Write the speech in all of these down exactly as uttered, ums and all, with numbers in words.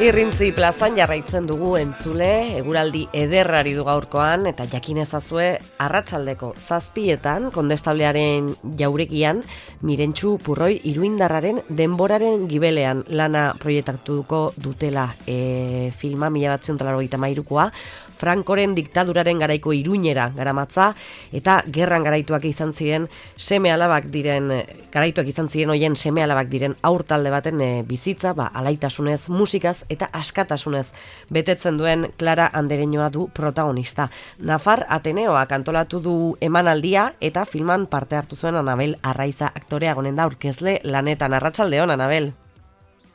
Irrintzi plazan jarraitzen dugu entzule, eguraldi ederrari du gaurkoan, eta jakin ezazue arratsaldeko zazpietan, kondestablearen jauregian, Mirentxu Purroi Iruindarraren denboraren gibelean lana proiektatuko dutela e, filma mila bederatziehun eta laurogeita hamairukoa, Frankoren diktaduraren garaiko Iruñera garamatza, eta gerran garaituak izan ziren seme alabak diren, garaituak izan ziren hoien seme alabak diren aurtalde baten e, bizitza, ba, alaitasunez, musikaz eta askatasunez betetzen duen Clara Andereñoa du protagonista. Nafar Ateneoak antolatu du emanaldia eta filman parte hartu zuen Anabel Arraiza aktorea gonen da aurkezle lanetan. Arratsaldeon, Anabel.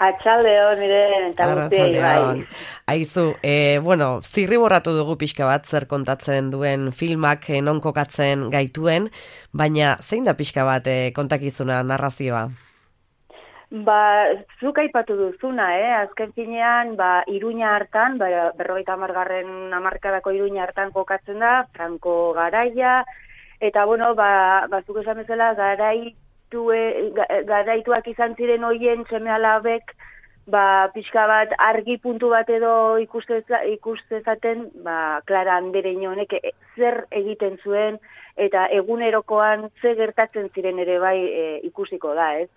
Atxaldeon, miren, eta guztiei, bai. Aizu, e, bueno, zirriborratu dugu pixka bat zer kontatzen duen filmak e, non kokatzen gaituen, baina zein da pixka bat e, kontakizuna, narrazioa? Ba, zuk aipatu duzuna, eh? Azken finean, ba, Iruña hartan, ba, berrogeita hamargarren hamarkadako Iruña hartan kokatzen da, Franco garaia, eta, bueno, ba, ba zuk esan bezala, garai garaituak izan ziren hoien seme alabek, ba, pixka bat argi puntu bat edo ikustezaten, ba, Clara Andereño honek zer egiten zuen, eta egunerokoan ze gertatzen ziren ere bai e, ikusiko da, ez?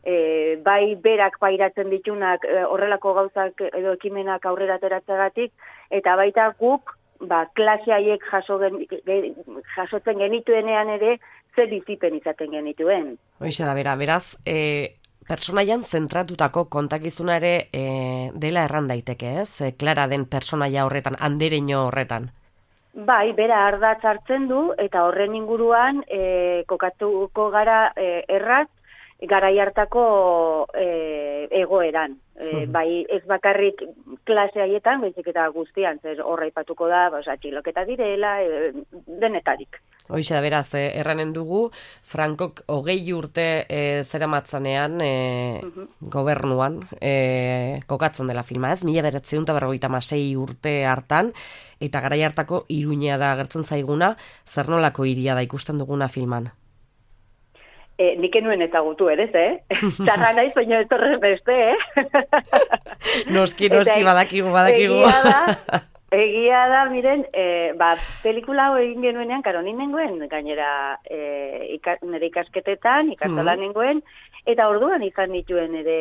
E, bai berak pairatzen ditunak e, horrelako gauzak edo ekimenak aurrera ateratzagatik, eta baita guk, ba, klase haiek jaso gen, jasotzen genituenean ere, ze bizipen izaten genituen. Hoixe da, bera, beraz, e, personaian zentratutako kontakizuna ere e, dela erran daiteke, ez? E, Clara den personaia horretan, Andereño horretan. Bai, bera ardatz hartzen du, eta horren inguruan e, kokatuko gara e, erraz, garai hartako e, egoeran. E, bai, ez bakarrik klase haietan, baizik eta guztian, zer horra ipatuko da, ba, txiloketa direla, e, denetarik. Hoixe da, beraz, eh, erranen dugu, Frankok hogei urte eh, zeramatzanean eh, uh-huh. gobernuan eh, kokatzen dela filma, ez? Mila bederatziehun eta berrogeita hamasei urte hartan, eta garai hartako Iruña da agertzen zaiguna, zer nolako hiria da ikusten duguna filman? E, nik enuen ezagutu ere, eh? Txarra naiz, baina ez horrez beste, eh? Noski, noski, eta, badakigu, badakigu. Egia da, egia da, miren, e, ba, pelikula hau egin genuenean, karo, nengoen, gainera, e, ika, nire ikasketetan, ikastola mm. nengoen, eta orduan izan dituen ere,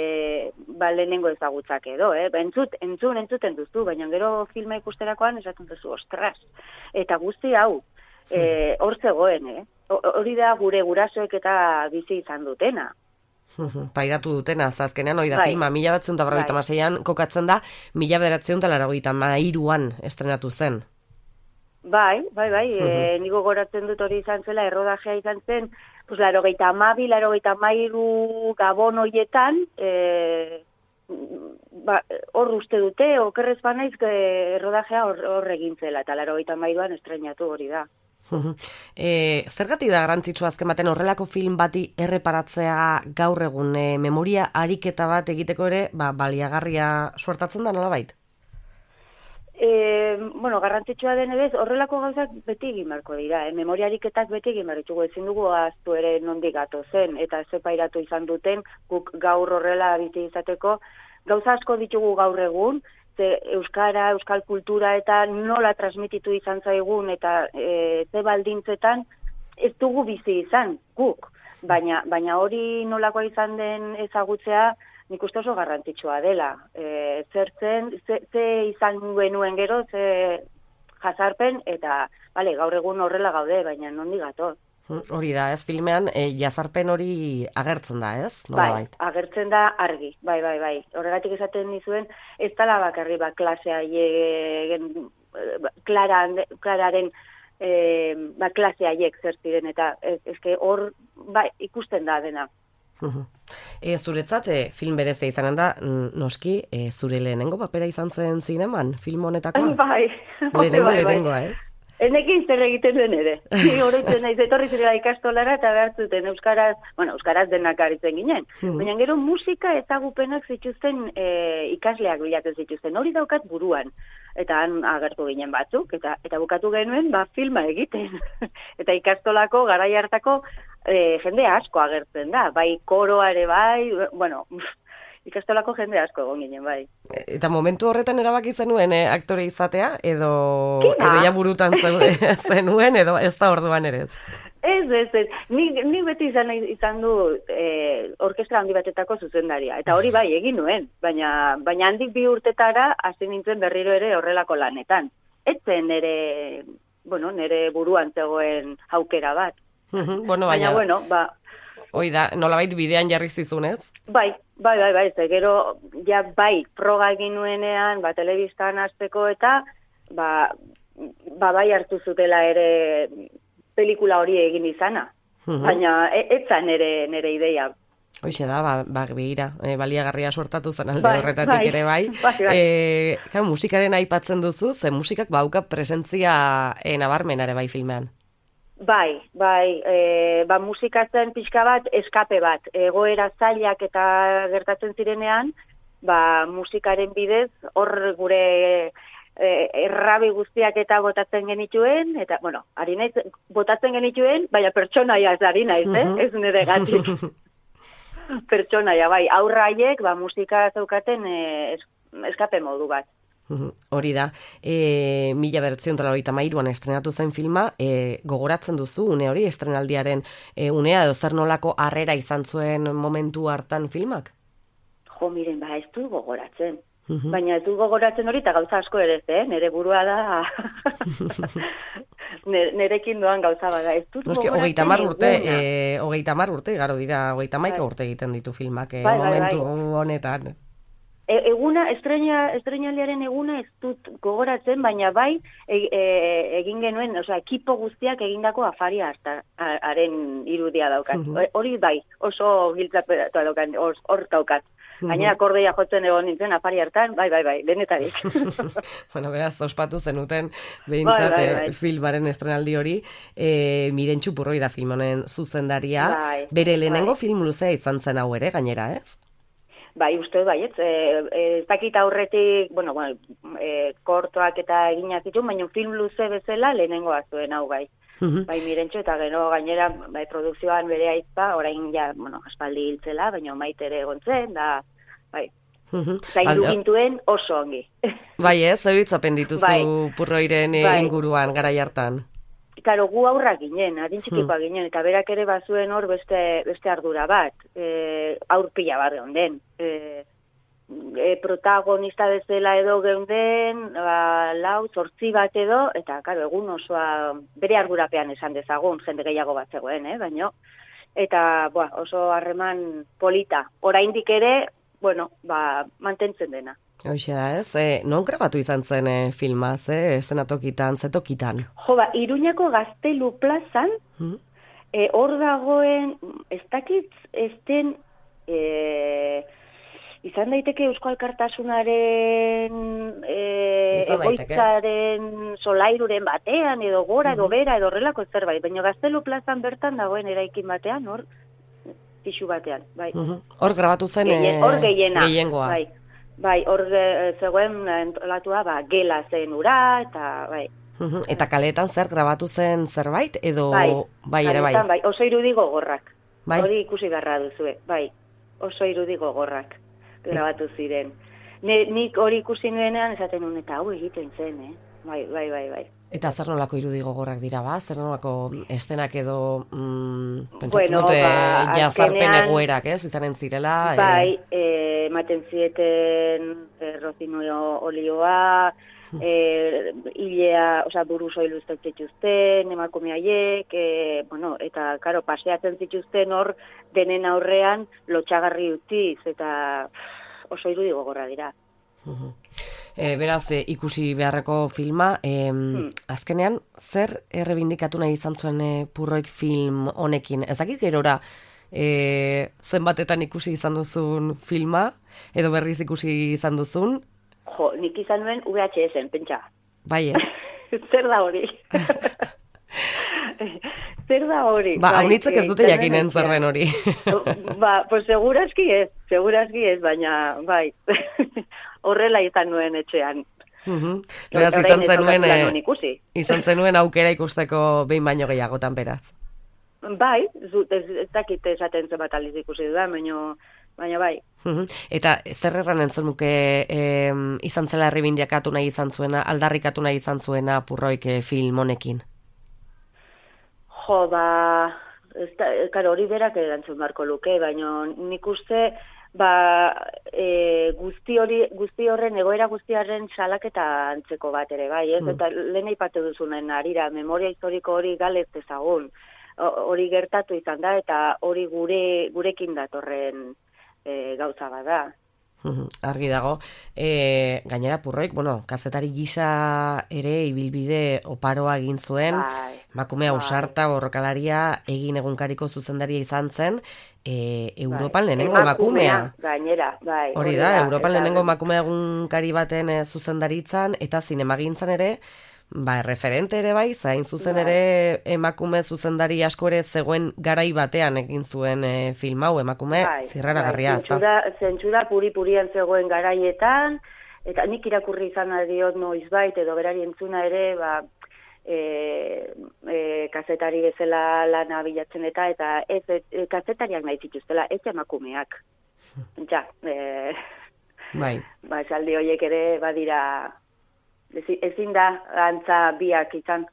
ba, lehenengo ezagutzak edo, eh? Ba, entzut, entzun, entzuten duzu, baina gero filma ikusterakoan esaten duzu, ostras, eta guzti hau, e, hor zegoen, eh? Hori da gure gurasoek eta bizi izan dutena. Pairatu dutena, azkenean hori da bai. filma, mila bederatziehun eta berrogeita hamaseian kokatzen da, mila bederatziehun eta laurogeita hamairuan estrenatu zen. Bai, bai, bai, e, niko goratzen dut hori izan zela, errodajea izan zen, pues, laurogeita hamabi, laurogeita hamairu gabon horietan, e, ba, hor uste dute, okerrez banaiz, errodajea hor, hor egin zela, eta laurogeita hamairuan estrenatu hori da. E, zergatik da garrantzitsua azken baten horrelako film bati erreparatzea gaur egun e, memoria ariketa bat egiteko ere ba, baliagarria suertatzen da nolabait? E, bueno, garrantzitsua den ere horrelako gauzak beti egin beharko dira, eh? Memoria ariketak beti egin behar ditugu, ezin dugu ahaztu ere nondik gatozen eta zepairatu izan duten guk gaur horrela bizi izateko gauza asko ditugu gaur egun, ze euskara, euskal kultura eta nola transmititu izan zaigun eta e, ze baldintzetan ez dugu bizi izan, guk. Baina, baina hori nolakoa izan den ezagutzea nik uste oso garrantzitsua dela. E, zertzen, ze, ze izan genuen gero, ze jazarpen eta bale, gaur egun horrela gaude, baina nondik gatoz. Hori da, ez filmean, e, jazarpen hori agertzen da, ez? Nola bai, bait? Agertzen da argi, bai, bai, bai. Horregatik esaten dizuen, ez dala bakarri ba, klasea egen, Clara, Clararen e, ba, klase haiek zer ziren, eta ez, ezke hor ba, ikusten da dena. E, zuretzat, e, film berezia izanen da, noski, e, zure lehenengo papera izan zen zineman, film honetakoa? Bai, lehenengo, bai, bai. lehenengoa, ez? Enekin zer egiten duen ere. Horretzen naiz, etorri zirela ikastolara eta behartzuten euskaraz, bueno, euskaraz denak aritzen ginen. Mm. Baina gero musika ezagupenak zituzten e, ikasleak bilatzen zituzten. Hori daukat buruan. Eta han agertu ginen batzuk, eta eta bukatu genuen, ba, filma egiten. Eta ikastolako, garai hartako, e, jende asko agertzen da. Bai koroare bai, bueno, ikastolako jende asko egon ginen, bai. Eta momentu horretan erabaki zenuen eh, aktore izatea, edo, edo ja burutan zenuen, edo ez da orduan ere ez? Ez, ez, ez. Ni, ni beti izan, izan du eh, orkestra handi batetako zuzendaria. Eta hori bai, egin nuen. Baina, baina handik bi urtetara hasi nintzen berriro ere horrelako lanetan. Etzen nere, bueno, nere buruan zegoen aukera bat. bueno, baina, baina, bueno, ba... Hoi da, nolabait bidean jarri zizunez? Bai, bai, bai, bai, ze gero, ja, bai, proga egin nuenean, ba, telebistan hasteko eta, ba, ba, bai hartu zutela ere pelikula hori egin izana. Baina, etzan nere, nere ideia. Hoxe da, ba, ba begira, e, baliagarria suertatu zen alde bai, horretatik bai, ere bai. bai, bai. E, claro, musikaren aipatzen duzu, ze musikak bauka presentzia e, nabarmenare bai filmean. Bai, bai, e, ba, musikatzen pixka bat, eskape bat, egoera zailak eta gertatzen zirenean, ba, musikaren bidez, hor gure e, errabi guztiak eta botatzen genituen, eta, bueno, ari naiz, botatzen genituen, baina pertsonaia ez ari naiz, eh? Ez nire gatik. Pertsonaia, bai, aurraiek, ba, musika zeukaten e, eskape modu bat. Hori da, e, mila bederatziehun eta laurogeita hamairuan estrenatu zen filma, e, gogoratzen duzu une hori, estrenaldiaren e, unea, edo zer nolako harrera izan zuen momentu hartan filmak? Jo, miren, ba, ez du gogoratzen. Baina ez du gogoratzen hori, eta gauza asko ere, eh? Nere burua da, nerekin doan gauza bada. Ez dut gogoratzen hogeita hamar urte, e, hogeita hamar urte, garo dira, hogeita hamaika urte egiten ditu filmak, e, bai, bai, momentu bai. honetan. E, eguna, estrena, estrenaldiaren eguna ez dut gogoratzen, baina bai e, e, egin genuen, osea, ekipo guztiak egindako afaria haren irudia daukat. Hori bai, oso giltzapetua daukat, hor daukat. Gainera akordeia jotzen egon nintzen afari hartan, bai, bai, bai, denetarik. Bueno, beraz, ospatu zenuten behintzat bai, bai, bai. filmaren estrenaldi hori, e, Mirentxu Purroi da film honen zuzendaria, bai, bere lehenengo bai. film luzea izan zen hau ere, gainera, ez? Bai, uste bai, ez, ez dakit aurretik, bueno, bueno e, kortoak eta eginak zituen, baina film luze bezala lehenengoa zuen hau bai. Uh-huh. Bai, Mirentxu eta gero gainera bai, produkzioan bere aizpa, orain ja, bueno, aspaldi hiltzela, baina maite ere egon zen, da, bai, uh-huh. zaindu gintuen oso ongi. Bai, ez, zer hitzapen dituzu bai. Purroiren bai. inguruan garai hartan? Karo, gu aurrak ginen, adin txikikoa hmm. ginen, eta berak ere bazuen hor beste, beste ardura bat, e, aurpila bat geunden. E, e, protagonista bezala edo geunden, ba, lau, zortzi bat edo, eta karo, egun osoa bere ardurapean esan dezagun, jende gehiago bat zegoen, eh, baino. Eta boa, oso harreman polita. Oraindik ere, bueno, ba, mantentzen dena. Hoxe da, ez? E, non grabatu izan zen e, filma, ze? Estenatokitan, zetokitan? Jo, ba, Iruñako Gaztelu plazan, hmm? e, hor dagoen, ez dakit, ez den, e, izan daiteke Eusko Alkartasunaren e, egoitzaren solairuren batean, edo gora, edo bera, edo horrelako zerbait, baina Gaztelu plazan bertan dagoen eraikin batean, hor, pixu batean, bai. Hor grabatu zen Gehien, hor gehiena, gehiengoa. Bai. Bai, hor zegoen entolatua, ba, gela zen ura, eta bai. Eta kaletan zer grabatu zen zerbait, edo bai, bai ere bai? Bai, oso irudi gogorrak. Bai? Hori ikusi garra duzue, bai. Oso irudi gogorrak grabatu ziren. Ne, nik hori ikusi nuenean esaten nuen, eta hau egiten zen, eh? Bai, bai, bai, bai. Eta zer nolako irudi gogorrak dira, ba? Zer nolako estenak edo mm, pentsatzen bueno, dute ba, jazarpen egoerak, ez? Izanen zirela? Bai, e... ematen zieten e, rozinio olioa, e, hilea, oza, buruz oilu zituzten, emakume haiek, e, bueno, eta, karo, paseatzen zituzten hor denen aurrean lotxagarri utziz, eta pff, oso irudi gogorra dira. Uh-huh. E, beraz, e, ikusi beharreko filma, e, hmm. azkenean, zer errebindikatu nahi izan zuen e, Purroik film honekin? Ez dakit gerora, e, zenbatetan ikusi izan duzun filma, edo berriz ikusi izan duzun? Jo, nik izan nuen U H S-en, pentsa. Bai, eh? Zer da hori? Zer da hori? Ba, haunitzek ez dute jakinen zerren hori. Ba, pues segurazki ez, segurazki ez, baina, bai, horrela izan nuen etxean. Uh-huh. Beraz, izan zenuen, e, izan zenuen aukera ikusteko behin baino gehiagotan beraz. Bai, ez, ez dakit esaten zenbat aldiz ikusi dudan, baina baina bai. Eta zer erran entzun nuke e, izan zela errebindiakatu nahi izan zuena, aldarrikatu nahi izan zuena Purroik e, film honekin? Jo, ba, ez da, karo, hori berak erantzun barko luke, baina nik uste, ba, e, guzti hori, guzti horren, egoera guztiaren salaketa antzeko bat ere, bai, ez? Hmm. Eta lehen aipatu duzunen arira, memoria historiko hori galez ezagun, hori gertatu izan da, eta hori gure gurekin datorren E, gauza bada. Argi dago. E, gainera Purroik, bueno, kazetari gisa ere ibilbide oparoa egin zuen, bai, emakume ausarta, borrokalaria, egin egunkariko zuzendaria izan zen, e, Europan bai. lehenengo emakumea. Gainera, bai. Hori da, Europan lehenengo emakume egunkari baten e, zuzendaritzan, eta zinemagintzan ere, ba, referente ere bai, zain zuzen bai. ere emakume zuzendari asko ere zegoen garai batean egin zuen e, film hau, emakume bai, zirrara garria. Bai, zentsura, zentsura puri-purian zegoen garaietan, eta nik irakurri izan adiot noiz bait, edo berari entzuna ere, ba, e, e, kazetari bezala lana bilatzen eta, eta ez, e, kazetariak nahi zituztela, ez emakumeak. Ja, e, bai. Ba, esaldi horiek ere badira... ezin da antza biak izan.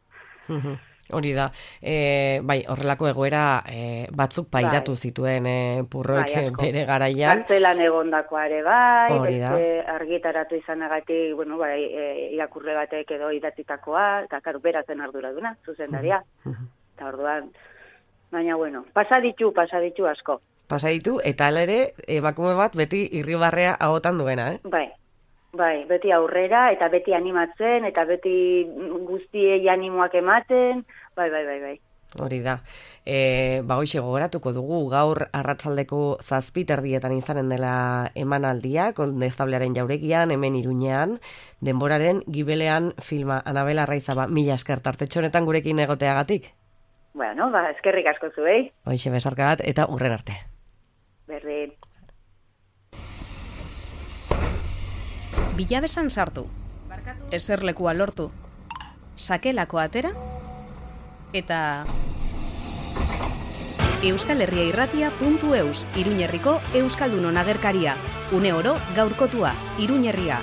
Hori da. E, bai, horrelako egoera e, batzuk pairatu bai. zituen e, Purroik bai, bere garaian. Kartzelan egondakoa ere bai, hori da. Argitaratu izanagatik, bueno, bai, e, irakurle batek edo idatzitakoa, eta karo, beratzen arduraduna, zuzendaria. Eta orduan, baina bueno, pasa ditu, pasa ditu asko. Pasa ditu, eta ere, emakume bat beti irribarrea ahotan duena, eh? Bai. Bai, beti aurrera, eta beti animatzen, eta beti guztiei animoak ematen, bai, bai, bai, bai. Hori da. E, ba, hoxe gogoratuko dugu, gaur arratsaldeko zazpi terdietan izanen dela emanaldia, Kondestablearen jauregian, hemen Iruñean, denboraren gibelean filma. Anabel Arraizaba, mila esker tartetxo honetan gurekin egoteagatik. Bueno, ba, eskerrik asko zuei. Hoxe besarka bat, eta urren arte. Berdin. Bilabesan sartu, eserlekua lortu, sakelako atera, eta euskalherriairratia puntu eus, Iruñerriko Euskaldunon agerkaria, une oro gaurkotua, Iruñerria.